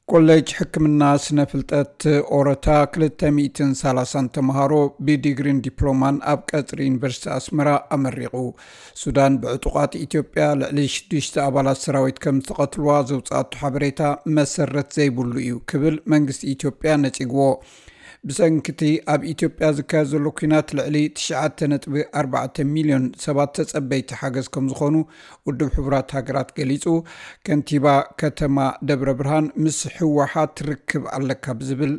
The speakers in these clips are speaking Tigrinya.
ኮሌጅ ሕክምና ስነ ፍልጠት ኦረታ ክልተ ሚእትን ሰላሳን ተምሃሮ ብዲግሪን ዲፕሎማን ኣብ ቀጽሪ ዩኒቨርሲቲ ኣስመራ ኣመሪቑ። ሱዳን ብዕጡቓት ኢትዮጵያ ልዕሊ ሽዱሽተ ኣባላት ሰራዊት ከም ዝተቐትልዋ ዘውፅኣቶ ሓበሬታ መሰረት ዘይብሉ እዩ ክብል መንግስቲ ኢትዮጵያ ነፂግዎ። ብሰንክቲ ኣብ ኢትዮጵያ ዝካየድ ዘሎ ኲናት ልዕሊ ትሽዓተ ነጥቢ ኣርባዕተ ሚልዮን ሰባት ተጸበይቲ ሓገዝ ከም ዝኾኑ ውድብ ሕቡራት ሃገራት ገሊጹ። ከንቲባ ከተማ ደብረ ብርሃን ምስ ህወሓት ርክብ ኣለካ ብዝብል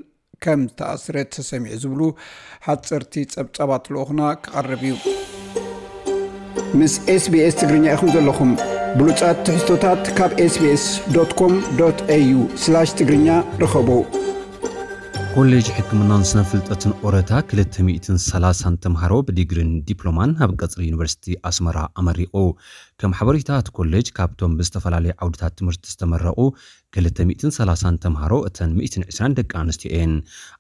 ከም ዝተኣስረ ተሰሚዑ ዝብሉ ሓጸርቲ ጸብጻባት ልኡኽና ክቐርብ እዩ። ምስ ኤስቢኤስ ትግርኛ ኢኹም ዘለኹም። ብሉጻት ትሕዝቶታት ካብ ኤስቢኤስ ዶት ኮም ዶት ኤዩ ስላሽ ትግርኛ ርኸቡ። ኮሌጅ ሕክምናን ስነ ፍልጠትን ኦረታ ክልተ ሚእትን ሰላሳን ተምሃሮ ብዲግሪን ዲፕሎማን ኣብ ቀጽሪ ዩኒቨርሲቲ ኣስመራ ኣመሪቑ። ከም ሓበሬታ እቲ ኮሌጅ ካብቶም ብዝተፈላለዩ ዓውድታት ትምህርቲ ዝተመረቑ ክልተ ሚእትን ሰላሳን ተምሃሮ እተን ሚእትን ዕስራን ደቂ ኣንስትዮ እየን።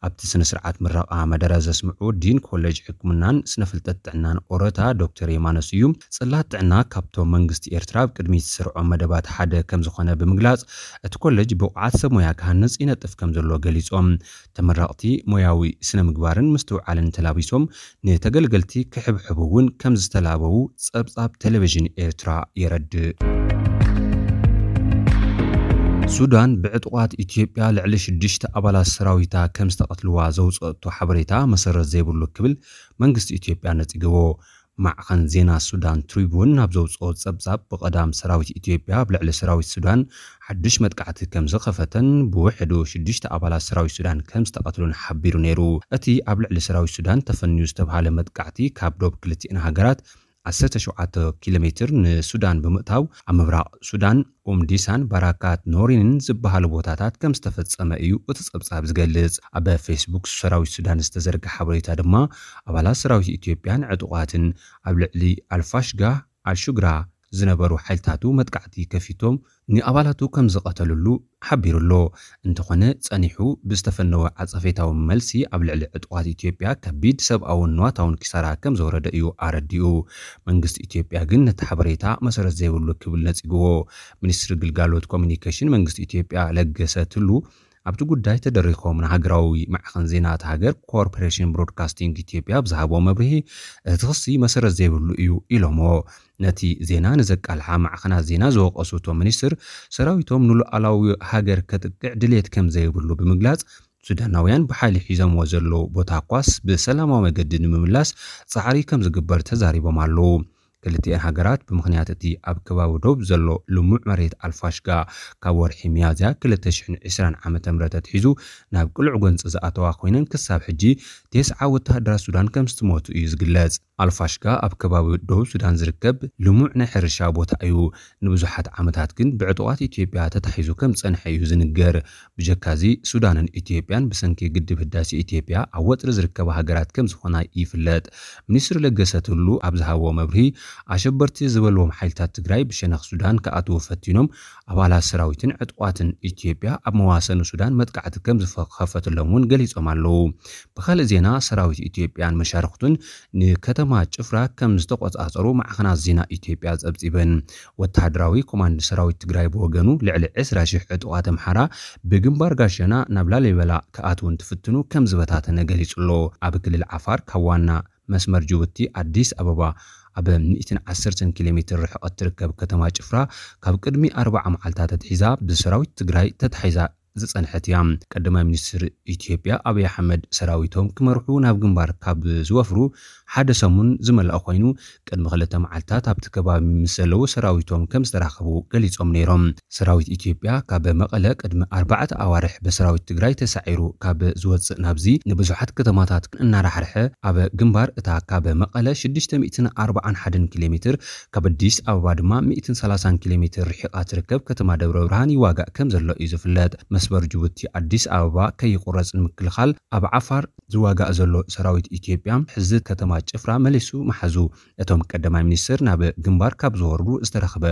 ኣብቲ ስነ ስርዓት ምረቓ መደረ ዘስምዑ ዲን ኮሌጅ ሕክምናን ስነ ፍልጠት ጥዕናን ኦረታ ዶክተር የማነ ስዩም ጽላት ጥዕና ካብቶም መንግስቲ ኤርትራ ኣብ ቅድሚት ዝሰርዖም መደባት ሓደ ከም ዝኾነ ብምግላጽ እቲ ኮሌጅ ብቑዓት ሰብ ሞያ ክሃንጽ ይነጥፍ ከም ዘሎ ገሊጾም። ተመረቕቲ ሞያዊ ስነ ምግባርን ምስትውዓልን ተላቢሶም ንተገልገልቲ ክሕብሕቡ እውን ከም ዝተላበዉ ጸብጻብ ቴሌቪዥን ኤርትራ የረድእ። ሱዳን ብዕጡቓት ኢትዮጵያ ልዕሊ ሽዱሽተ ኣባላት ሰራዊታ ከም ዝተቐትልዋ ዘውፅአቶ ሓበሬታ መሰረት ዘይብሉ ክብል መንግስቲ ኢትዮጵያ ነፂግዎ። ማዕኸን ዜና ሱዳን ትሪቡን ናብ ዘውፅኦ ጸብጻብ ብቐዳም ሰራዊት ኢትዮጵያ ኣብ ልዕሊ ሰራዊት ሱዳን ሓድሽ መጥቃዕቲ ከም ዝኸፈተን ብውሕዱ ሽዱሽተ ኣባላት ሰራዊት ሱዳን ከም ዝተቐትሉን ሓቢሩ ነይሩ። እቲ ኣብ ልዕሊ ሰራዊት ሱዳን ተፈንዩ ዝተብሃለ መጥቃዕቲ ካብ ዶብ ክልቲኤን ሃገራት ዓሰርተ ሸውዓተ ኪሎ ሜትር ንሱዳን ብምእታው ኣብ ምብራቕ ሱዳን ኡምዲሳን ባራካት ኖሪንን ዝበሃሉ ቦታታት ከም ዝተፈጸመ እዩ እቲ ጸብጻብ ዝገልጽ። ኣብ ፌስቡክ ሰራዊት ሱዳን ዝተዘርግሐ ሓበሬታ ድማ ኣባላት ሰራዊት ኢትዮጵያን ዕጡቓትን ኣብ ልዕሊ ኣልፋሽጋ ኣልሹግራ ዝነበሩ ሓይልታቱ መጥቃዕቲ ከፊቶም ንኣባላቱ ከም ዝቐተሉሉ ሓቢሩ ኣሎ። እንተኾነ ጸኒሑ ብዝተፈነወ ዓጸፌታዊ መልሲ ኣብ ልዕሊ ዕጡቓት ኢትዮጵያ ከቢድ ሰብኣውን ንዋታውን ኪሳራ ከም ዘውረደ እዩ ኣረዲኡ። መንግስቲ ኢትዮጵያ ግን ነቲ ሓበሬታ መሰረት ዘይብሉ ክብል ነጺግዎ። ሚኒስትሪ ግልጋሎት ኮሚኒኬሽን መንግስቲ ኢትዮጵያ ለገሰ ቱሉ ኣብቲ ጉዳይ ተደሪኾም ንሃገራዊ ማዕኸን ዜና እታ ሃገር ኮርፖሬሽን ብሮድካስቲንግ ኢትዮጵያ ብዝሃቦ መብርሂ እቲ ክሲ መሰረት ዘይብሉ እዩ ኢሎሞ። ነቲ ዜና ንዘቃልሓ ማዕኸናት ዜና ዝወቀሱ እቶም ሚኒስትር ሰራዊቶም ንሉዓላዊ ሃገር ከጥቅዕ ድሌት ከም ዘይብሉ ብምግላጽ ሱዳናውያን ብሓይሊ ሒዞምዎ ዘለዉ ቦታ ኳስ ብሰላማዊ መገዲ ንምምላስ ጻዕሪ ከም ዝግበር ተዛሪቦም ኣለዉ። ክልቲኤን ሃገራት ብምኽንያት እቲ ኣብ ከባቢ ዶብ ዘሎ ልሙዕ መሬት ኣልፋሽጋ ካብ ወርሒ ሚያዝያ ክልተ ሽሕን ዕስራን ዓመተ ምህረት ኣትሒዙ ናብ ቅሉዕ ጎንፂ ዝኣተዋ ኮይነን ክሳብ ሕጂ ተስዓ ወተሃደራት ሱዳን ከም ዝተሞቱ እዩ ዝግለጽ። ኣልፋሽጋ ኣብ ከባቢ ደቡብ ሱዳን ዝርከብ ልሙዕ ናይ ሕርሻ ቦታ እዩ። ንብዙሓት ዓመታት ግን ብዕጡቓት ኢትዮጵያ ተታሒዙ ከም ዝጸንሐ እዩ ዝንገር። ብጀካዚ ሱዳንን ኢትዮጵያን ብሰንኪ ግድብ ህዳሴ ኢትዮጵያ ኣብ ወጥሪ ዝርከባ ሃገራት ከም ዝኾና ይፍለጥ። ሚኒስትር ለገሰ ቱሉ ኣብ ዝሃብዎ መብርሂ ኣሸበርቲ ዝበልዎም ሓይልታት ትግራይ ብሸነኽ ሱዳን ክኣትዉ ፈቲኖም ኣባላት ሰራዊትን ዕጡቓትን ኢትዮጵያ ኣብ መዋሰኑ ሱዳን መጥቃዕቲ ከም ዝኸፈትሎም እውን ገሊጾም ኣለዉ። ብኻልእ ዜና ሰራዊት ኢትዮጵያን መሻርኽቱን ንከተማ ጭፍራ ከም ዝተቆጻጸሩ ማዕኸናት ዜና ኢትዮጵያ ጸብጺበን። ወተሃደራዊ ኮማንድ ሰራዊት ትግራይ ብወገኑ ልዕሊ ዕስራ ሽሕ ዕጡቓት ኣምሓራ ብግንባር ጋሸና ናብ ላሊበላ ክኣትዉ እንትፍትኑ ከም ዝበታተነ ገሊጹ ኣሎ። ኣብ ክልል ዓፋር ካብ ዋና መስመር ጅቡቲ ኣዲስ ኣበባ ኣብ ሚእትን ዓሰርተን ኪሎ ሜትር ርሕቐት ትርከብ ከተማ ጭፍራ ካብ ቅድሚ ኣርባዓ መዓልታት ኣትሒዛ ብሰራዊት ትግራይ ተታሒዛ ዝጸንሐት እያ። ቀዳማይ ሚኒስትር ኢትዮጵያ ኣብይ ኣሕመድ ሰራዊቶም ክመርሑ ናብ ግንባር ካብ ዝወፍሩ ሓደ ሰሙን ዝመልኣ ኮይኑ ቅድሚ ክልተ መዓልታት ኣብቲ ከባቢ ምስ ዘለዉ ሰራዊቶም ከም ዝተራኸቡ ገሊጾም ነይሮም። ሰራዊት ኢትዮጵያ ካብ መቐለ ቅድሚ ኣርባዕተ ኣዋርሕ ብሰራዊት ትግራይ ተሳዒሩ ካብ ዝወፅእ ናብዚ ንብዙሓት ከተማታት እናራሕርሐ ኣብ ግንባር እታ ካብ መቐለ ሽዱሽተ ሚእትን ኣርባዓን ሓደን ኪሎ ሜትር ካብ ኣዲስ ኣበባ ድማ ሚእትን ሰላሳን ኪሎ ሜትር ርሒቓ ትርከብ ከተማ ደብረ ብርሃን ይዋጋእ ከም ዘሎ እዩ ዝፍለጥ። መስመር ጅቡቲ ኣዲስ ኣበባ ከይቁረጽ ንምክልኻል ኣብ ዓፋር ዝዋጋእ ዘሎ ሰራዊት ኢትዮጵያ ሕዚ ከተማ ጭፍራ መሊሱ መሓዙ። እቶም ቀዳማይ ሚኒስትር ናብ ግንባር ካብ ዝወርዱ ዝተረኽበ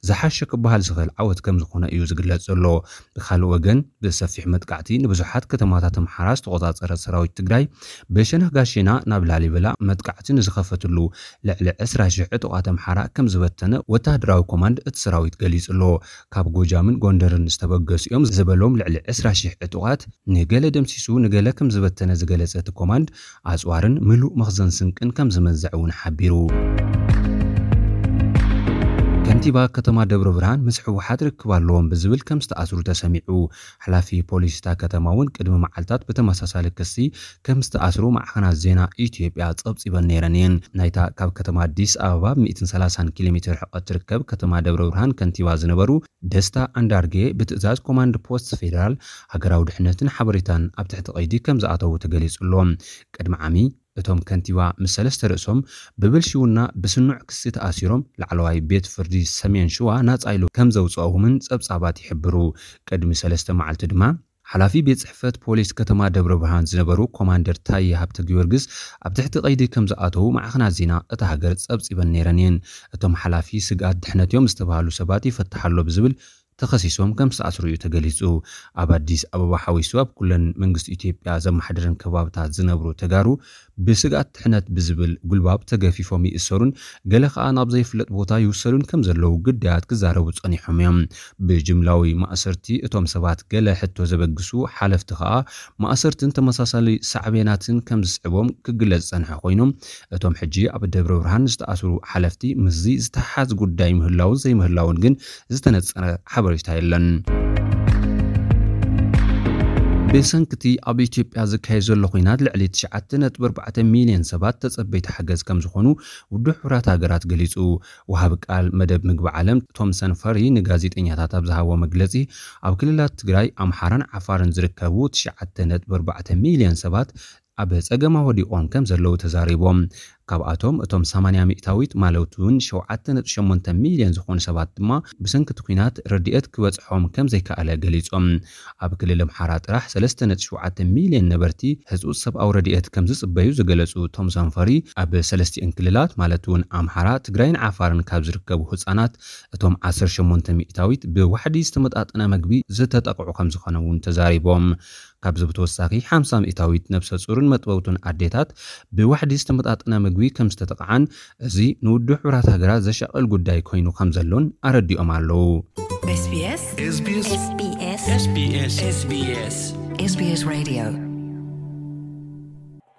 ዝሓሸ ክበሃል ዝኽእል ዓወት ከም ዝኾነ እዩ ዝግለጽ ዘሎ። ብኻልእ ወገን ብሰፊሕ መጥቃዕቲ ንብዙሓት ከተማታት ኣምሓራ ዝተቆጻጸረ ሰራዊት ትግራይ ብሸነኽ ጋሼና ናብ ላሊበላ መጥቃዕቲ ንዝኸፈትሉ ልዕሊ ዕስራ ሽሕ ዕጡቓት ኣምሓራ ከም ዝበተነ ወተሃደራዊ ኮማንድ እቲ ሰራዊት ገሊጹ ኣሎ። ካብ ጎጃምን ጎንደርን ዝተበገሱ እዮም ዝበሎም ልዕሊ ዕስራ ሺሕ ዕጡቓት፣ ንገለ ደምሲሱ ንገለ ከም ዝበተነ ዝገለጸ እቲ ኮማንድ፣ ኣጽዋርን ምሉእ መኽዘን ስንቅን ከም ዝመንዘዐ እውን ሓቢሩ። ከንቲባ ከተማ ደብረ ብርሃን ምስ ህወሓት ርክብ ኣለዎም ብዝብል ከም ዝተኣስሩ ተሰሚዑ። ሓላፊ ፖሊስ እታ ከተማ እውን ቅድሚ መዓልታት ብተመሳሳሊ ክሲ ከም ዝተኣስሩ ማዕኸናት ዜና ኢትዮጵያ ጸብጺበን ነይረን እየን። ናይታ ካብ ከተማ ኣዲስ ኣበባ ብ ሚእትን ሰላሳን ኪሎ ሜትር ርሕቀት ትርከብ ከተማ ደብረ ብርሃን ከንቲባ ዝነበሩ ደስታ ኣንዳርጌ ብትእዛዝ ኮማንድ ፖስት ፌዴራል ሃገራዊ ድሕነትን ሓበሬታን ኣብ ትሕቲ ቀይዲ ከም ዝኣተዉ ተገሊጹ ኣሎ። ቅድሚ ዓሚ እቶም ከንቲባ ምስ ሰለስተ ርእሶም ብብልሽውና ብስኑዕ ክሲ ተኣሲሮም ላዕለዋይ ቤት ፍርዲ ሰሜን ሽዋ ናጻ ኢሉ ከም ዘውፅኦምን ጸብጻባት ይሕብሩ። ቅድሚ ሰለስተ መዓልቲ ድማ ሓላፊ ቤት ጽሕፈት ፖሊስ ከተማ ደብረ ብርሃን ዝነበሩ ኮማንደር ታየ ሃብተ ጊዮርጊስ ኣብ ትሕቲ ቀይዲ ከም ዝኣተዉ ማዕኸናት ዜና እታ ሃገር ጸብጺበን ነይረን እየን። እቶም ሓላፊ ስግኣት ድሕነት እዮም ዝተባህሉ ሰባት ይፈትሕ ኣሎ ብዝብል ተኸሲሶም ከም ዝተኣስሩ እዩ ተገሊጹ። ኣብ ኣዲስ ኣበባ ሓዊሱ ኣብ ኩለን መንግስቲ ኢትዮጵያ ዘመሓድረን ከባብታት ዝነብሩ ተጋሩ ብስግኣት ድሕነት ብዝብል ጉልባብ ተገፊፎም ይእሰሩን ገለ ከኣ ናብ ዘይፍለጥ ቦታ ይውሰዱን ከም ዘለዉ ግዳያት ክዛረቡ ጸኒሖም እዮም። ብጅምላዊ ማእሰርቲ እቶም ሰባት ገለ ሕቶ ዘበግሱ ሓለፍቲ ከኣ ማእሰርትን ተመሳሳሊ ሳዕቤናትን ከም ዝስዕቦም ክግለጽ ዝጸንሐ ኮይኑ፣ እቶም ሕጂ ኣብ ደብረ ብርሃን ዝተኣስሩ ሓለፍቲ ምስዚ ዝተሓሓዝ ጉዳይ ምህላውን ዘይምህላውን ግን ዝተነጸረ ሓበሬታ የለን። ብሰንክቲ ኣብ ኢትዮጵያ ዝካየድ ዘሎ ኲናት ልዕሊ ትሽዓተ ነጥቢ ኣርባዕተ ሚልዮን ሰባት ተጸበይቲ ሓገዝ ከም ዝኾኑ ውድብ ሕቡራት ሃገራት ገሊጹ። ወሃቢ ቃል መደብ ምግቢ ዓለም ቶምሰን ፈሪ ንጋዜጠኛታት ኣብ ዝሃቦ መግለጺ፣ ኣብ ክልላት ትግራይ፣ ኣምሓራን ዓፋርን ዝርከቡ ትሽዓተ ነጥቢ ኣርባዕተ ሚልዮን ሰባት ኣብ ጸገማ ወዲቖም ከም ዘለዉ ተዛሪቦም። ካብኣቶም እቶም ሰማንያ ሚእታዊት ማለት እውን ሸውዓተ ነጥቢ ሸሞንተ ሚልዮን ዝኾኑ ሰባት ድማ ብሰንኪ እቲ ኲናት ረድኤት ክበጽሖም ከም ዘይከኣለ ገሊጾም። ኣብ ክልል ኣምሓራ ጥራሕ ሰለስተ ነጥቢ ሸውዓተ ሚልዮን ነበርቲ ህጹጽ ሰብኣዊ ረድኤት ከም ዝጽበዩ ዝገለጹ ቶምሰን ፈሪ፣ ኣብ ሰለስቲኤን ክልላት ማለት እውን ኣምሓራ፣ ትግራይን ዓፋርን ካብ ዝርከቡ ህጻናት እቶም ዓሰርተ ሸሞንተ ሚእታዊት ብዋሕዲ ዝተመጣጠነ መግቢ ዝተጠቕዑ ከም ዝኾነ እውን ተዛሪቦም። ካብዚ ብተወሳኺ ሓምሳ ሚእታዊት ነብሰ ጹርን መጥበውትን ኣዴታት ብዋሕዲ ዝተመጣጠነ ምግቢ ከም ዝተጠቕዓን፣ እዚ ንውድብ ሕቡራት ሃገራት ዘሻቕል ጉዳይ ኮይኑ ከም ዘሎን ኣረዲኦም ኣለዉ። SBS SBS SBS SBS SBS SBS Radio